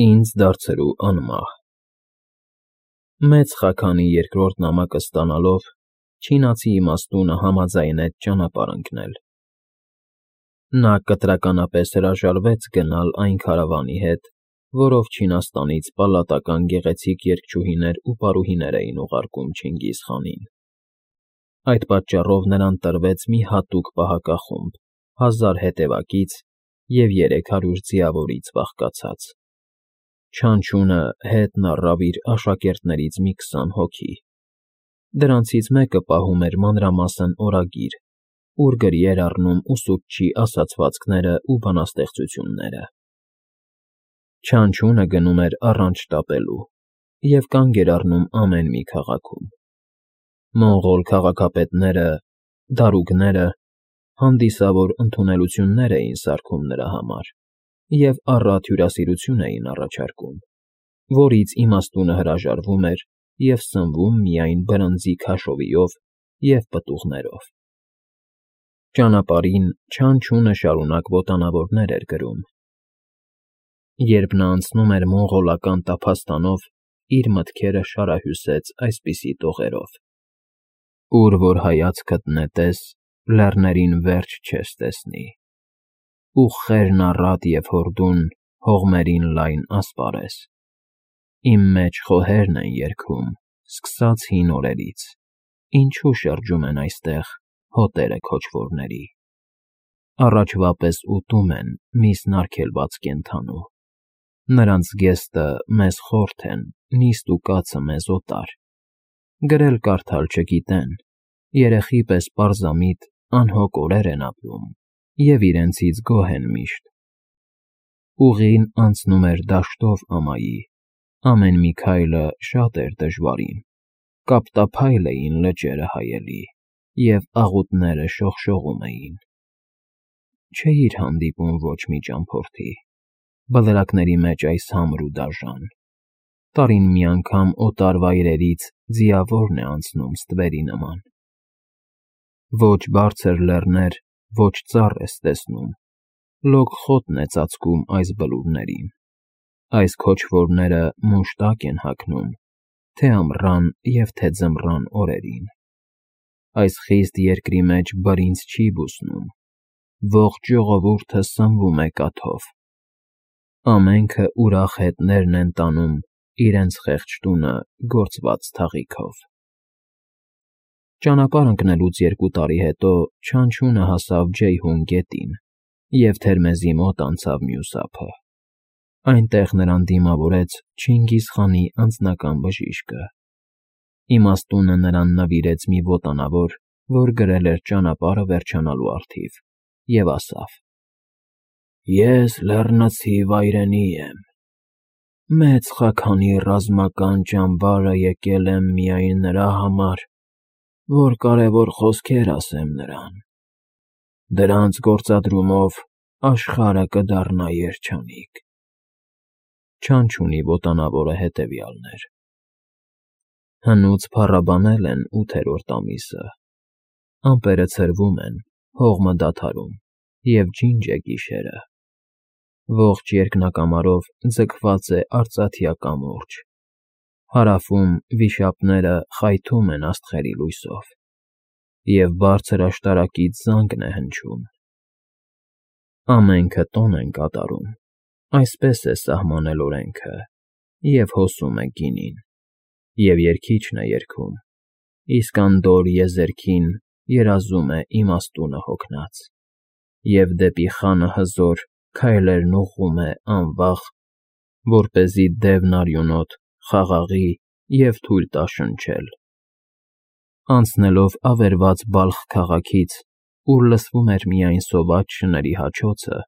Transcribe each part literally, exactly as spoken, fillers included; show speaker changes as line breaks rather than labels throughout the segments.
Ինձ դարձրու անմահ։ Մեծ խաքանի երկրորդ նամակը ստանալով, չինացի իմաստունը համաձայնեց ճանապարհ ընկնել։ Նա կտրականապես հրաժարվեց գնալ այն քարավանի հետ, որով Չինաստանից պալատական գեղեցիկ երգչուհիներ ու պարուհիներ էին ուղարկում Չինգիզ խանին։ Այդ պատճառով նրան տրվեց մի հատուկ պահակախումբ հազար հետևակից և երեք հարյուր ձիավորից բաղկացած։ Չանչունը հետն առավ իր աշակերտներից մի քսան հոգի։ Դրանցից մեկը պահում էր մանրամասն օրագիր, ուր գրի էր առնում ուսուցչի ասացվածքներն ու բանաստեղծությունները։ Չանչունը գնում էր առանց շտապելու և կանգ էր առնում ամեն մի քաղաքում։ Մոնղոլ քաղաքապետները, դարուգները հանդիսավոր ընդունելություններ էին սարքում նրա համար և առատ հյուրասիրություն էին առաջարկում, որից իմաստունը հրաժարվում էր և սնվում միայն բրնձի քաշովիով և պտուղներով։ Ճանապարհին Չանչունը շարունակ ոտանավորներ էր գրում։ Երբ նա անցնում էր մոնղոլական տափաստանով, իր մտքերը շարահյուսեց այսպիսի տողերով. «Ուր որ հայացքդ նետես, լեռներին վերջ չես տեսնի, ուղղերն առատ և հորդուն, հողմերին լայն ասպարեզ։ Իմ մեջ խոհերն են երգում, սկսած հին օրերից, ինչու շրջում են այստեղ հոտերը քոչվորների։ Առաջվա պես ուտում են միսն արգելված կենդանու, նրանց զգեստը մեզ խորթ են, նիստ ու կացը մեզ օտար, գրել֊կարդալ չգիտեն, երեխի պես պարզամիտ անհոգ օրեր են ապրում և իրենցից գոհ են միշտ։ Ուղին անցնում էր դաշտով ամայի, ամեն մի քայլը շատ էր դժվարին, կապտափայլ էին լճերը հայելի և աղուտները շողշողում էին։ Չէիր հանդիպում ոչ մի ճամփորդի, բլրակների մեջ այս համր ու դաժան, տարին մի անգամ օտար վայրերից ձիավորն է անցնում ստվերի նման։ Ոչ բարձր լեռներ, ոչ ծառ ես տեսնում, լոկ խոտն է ծածկում այս բլուրներին, այս քոչվորները մուշտակ են հագնում, թե ամռան և թե ձմռան օրերին։ Այս խիստ երկրի մեջ բրինձ չի բուսնում, ողջ ժողովուրդը սնվում է կաթով։ Ամենքը ուրախ հետներն են տանում իրենց խեղճ տունը գործված թաղիքով»։ Ճանապարհ ընկնելուց երկու տարի հետո Չանչունը հասավ Ջեյհուն գետին և Թերմեզի մոտ անցավ մյուս ափը։ Այնտեղ նրան դիմավորեց Չինգիզ խանի անձնական բժիշկը։ Իմաստունը նրան նվիրեց մի ոտանավոր, որ գրել էր ճանապարհը վերջանալու առթիվ, և ասավ. «Ես լեռնացի վայրենի եմ։ Մեծ խաքանի ռազմական ճամբարը եկել եմ միայն նրա համար, որ կարևոր խոսքեր ասեմ նրան։ Դրանց գործադրումով աշխարհը կդառնա երջանիկ»։ Չանչունի ոտանավորը հետևյալն էր. Հնուց փառաբանել են ութերորդ ամիսը, ամպերը ցրվում են, հողմը դադարում, և ջինջ է գիշերը։ Ողջ երկնակամարով ձգված է արծաթյա կամուրջ, հարավում վիշապները խայթում են աստղերի լույսով, և բարձր աշտարակից զանգն է հնչում։ Ամենքը տոն են կատարում, այսպես է սահմանել օրենքը, և հոսում է գինին, և երգիչն է երգում, իսկ անդորր եզերքին երազում է իմաստունը հոգնած, և դեպի խանը հզոր քայլերն ուղղում է անվախ, որպեսզի դևն արյունոտ խաղաղի և թույլ տա շնչել։ Անցնելով ավերված Բալխ քաղաքից, ուր լսվում էր միայն սոված շների հաչոցը,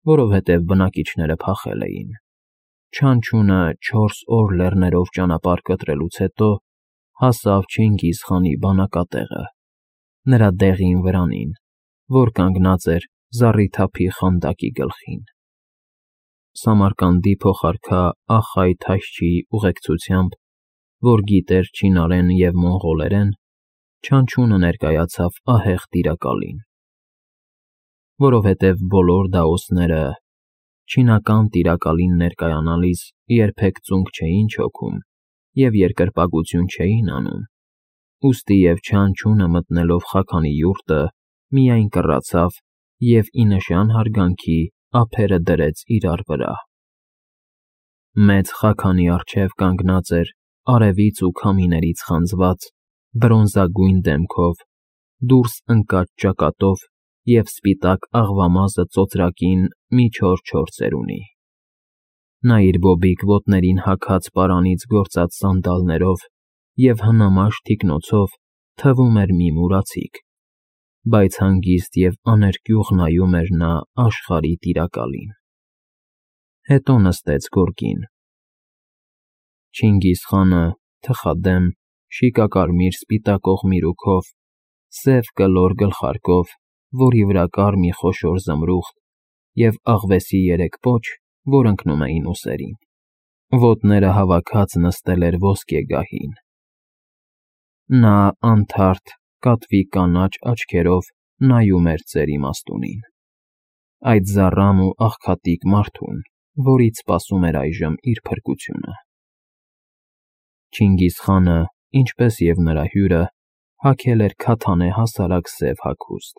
որովհետև բնակիչները փախել էին, Չանչունը չորս օր լեռներով ճանապարհ կտրելուց հետո հասավ Չինգիզ խանի բանակատեղը, նրա դեղին վրանին, որ կանգնած էր զառիթափի խանդակի գլխին։ Սամարկանդի փոխարքա Ախայ Թաշչիի ուղեկցությամբ, որ գիտեր չինարեն և մոնղոլերեն, Չանչունը ներկայացավ ահեղ տիրակալին։ Որովհետև բոլոր դաոսները, Չինական տիրակալին ներկայանալիս երբեք ծունկ չէին չոքում և երկրպագություն չէին անում, ուստի և չանչունը մտնելով խաքանի յուրտը միայն կռացավ և ի նշան հարգանքի ափերը դրեց իրար վրա։ Մեծ խաքանի առջև կանգնած էր արևից ու քամիներից խանձված, բրոնզագույն դեմքով, դուրս ընկած ճակատով և սպիտակ աղվամազը ծոծրակին մի չոր-չոր ծերունի։ Նա իր բոբիկ ոտներին հագած պարանից գործած սանդալներով և հնամաշ թիկնոցով թվում էր մի մուրացիկ, բայց հանգիստ և աներկյուղ նայում էր նա աշխարհի տիրակալին։ Հետո նստեց գորգին։ Չինգիզխանը, թխադեմ, շիկակարմիր սպիտակող միրուքով, սև կլոր գլխարկով, որի վրա կար մի խոշոր զմրուխտ, և աղվեսի երեք պոչ, որ ընկնում էին ուսերին, ոտները հավաքած նստել էր ոսկե գահին։ Նա անթարթ, կատվի կանաչ աչքերով նայում էր ծեր իմաստունին, այդ զառամ ու աղքատիկ մարդուն, որից սպասում էր այժմ իր փրկությունը։ Չինգիզխանը, ինչպես և նրա հյուրը, հագել էր քաթանե հասարակ սև հագուստ,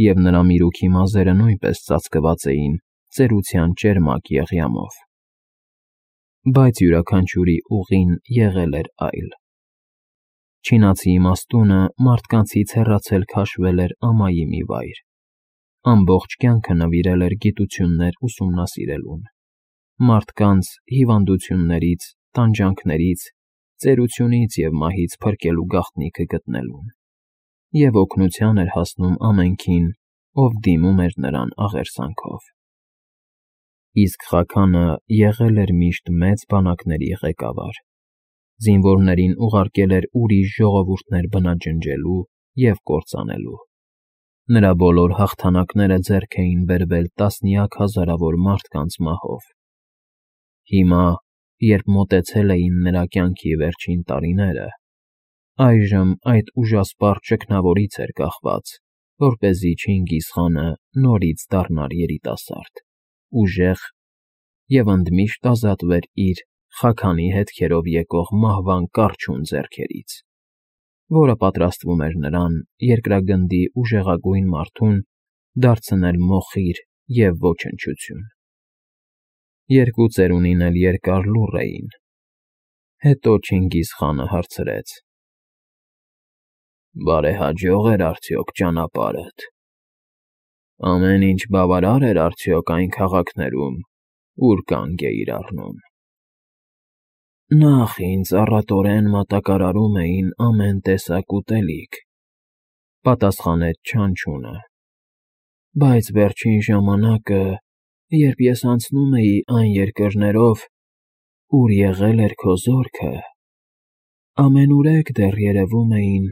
և նրա միրուքի մազերը նույնպես ծածկված էին ծերության ճերմակ եղյամով։ Բայց յուրաքանչյուրի ուղին եղել էր այլ։ Չինացի իմաստունը մարդկանցից հեռացել քաշվել էր ամայի մի վայր, ամբողջ կյանքը նվիրել էր գիտություններ ուսումնասիրելուն, մարդկանց հիվանդություններից, տանջանքներից, ծերությունից և մահից փրկելու գաղտնիքը գտնելուն, և օգնության էր հասնում ամենքին, ով դիմում էր նրան աղերսանքով։ Իսկ խաքանը եղել էր միշտ մեծ բանակների ղեկավար, զինվորներին ուղարկել էր ուրիշ ժողովուրդներ բնաջնջելու և կործանելու։ Նրա բոլոր հաղթանակները ձեռք էին բերվել տասնյակ հազարավոր մարդկանց մահով։ Հիմա, երբ մոտեցել էին նրա կյանքի վերջին տարիները, այժմ այդ ուժասպառ ճգնավորից էր կախված, որպեսզի Չինգիզխանը նորից դառնար երիտասարդ, ուժեղ և ընդմիշտ ազատվեր իր խաքանի հետքերով եկող մահվան կառչուն ձեռքերից, որը պատրաստվում էր նրան, երկրագնդի ուժեղագույն մարդուն, դարձնել մոխիր և ոչնչություն։ Երկու ծերունին էլ երկար լուռ էին։ Հետո Չինգիզխանը հարցրեց. «Բարեհաջո՞ղ էր արդյոք ճանապարհդ։ Ամեն ինչ բավարար էր արդյոք այն քաղաքներում, ուր կանգ էիր առնում»։ «Նախ ինձ առատորեն մատակարարում էին ամեն տեսակ ուտելիք», ֊ պատասխանեց չանչունը, «բայց վերջին ժամանակը, երբ ես անցնում էի այն երկրներով, ուր եղել էր քո զորքը, ամենուրեք դեռ երևում էին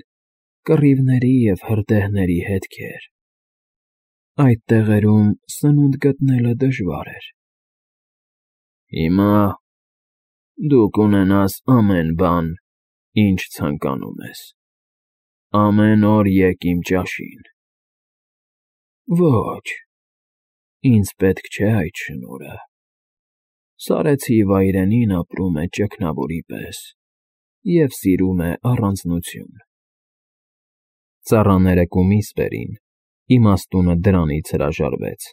կռիվների և հրդեհների հետքեր։ Այդ տեղերում սնունդ գտնելը դժվար էր։ Հիմա դու կունենաս ամեն բան, ինչ ցանկանում ես։ Ամեն օր եկ իմ ճաշին»։ «Ոչ, ինձ պետք չէ այդ շնորհը։ Սարեցի վայրենին ապրում է ճգնավորի պես և սիրում է առանձնություն»։ Ծառաները կումիս բերին, իմաստունը դրանից հրաժարվեց։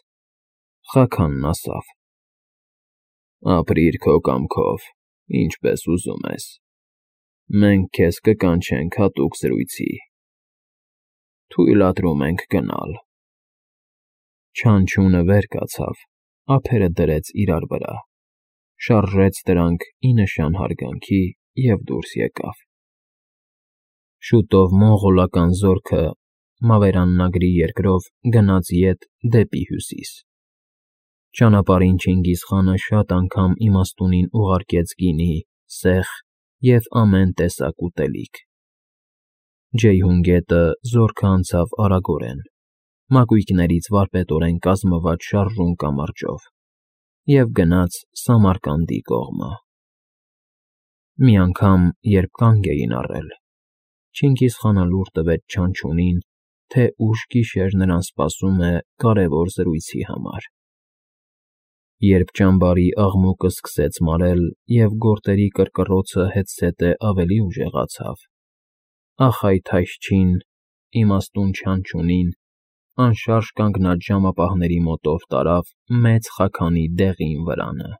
Խաքանն ասավ. «Ապրիր քո կամքով, ինչպես ուզում ես։ Մենք քեզ կկանչենք հատուկ զրույցի։ Թույլատրում ենք գնալ»։ Չանչունը վեր կացավ, ափերը դրեց իրար վրա, շարժեց դրանք ի նշան հարգանքի և դուրս եկավ։ Շուտով մոնղոլական զորքը Մավերաննագրի երկրով գնաց ետ դեպի հյուսիս։ Ճանապարհին Չինգիզխանը շատ անգամ իմաստունին ուղարկեց գինի, սեխ և ամեն տեսակ ուտելիք։ Ջեյհուն գետը զորքը անցավ արագորեն, մակույկներից վարպետորեն կազմված շարժուն կամրջով, և գնաց Սամարկանդի կողմը։ Մի անգամ, երբ կանգ էին առել, Չինգիզխանը լուր տվեց չանչունին, թե ուշ գիշեր նրան սպասում է կարևոր զրույցի համար։ Երբ ճամբարի աղմուկը սկսեց մարել և գորտերի կռկռոցը հետզհետե ավելի ուժեղացավ, ախայ-թայշչին, իմաստուն չանչունին, անշարժ կանգնած ժամապահների մոտով տարավ մեծ խաքանի դեղին վրանը։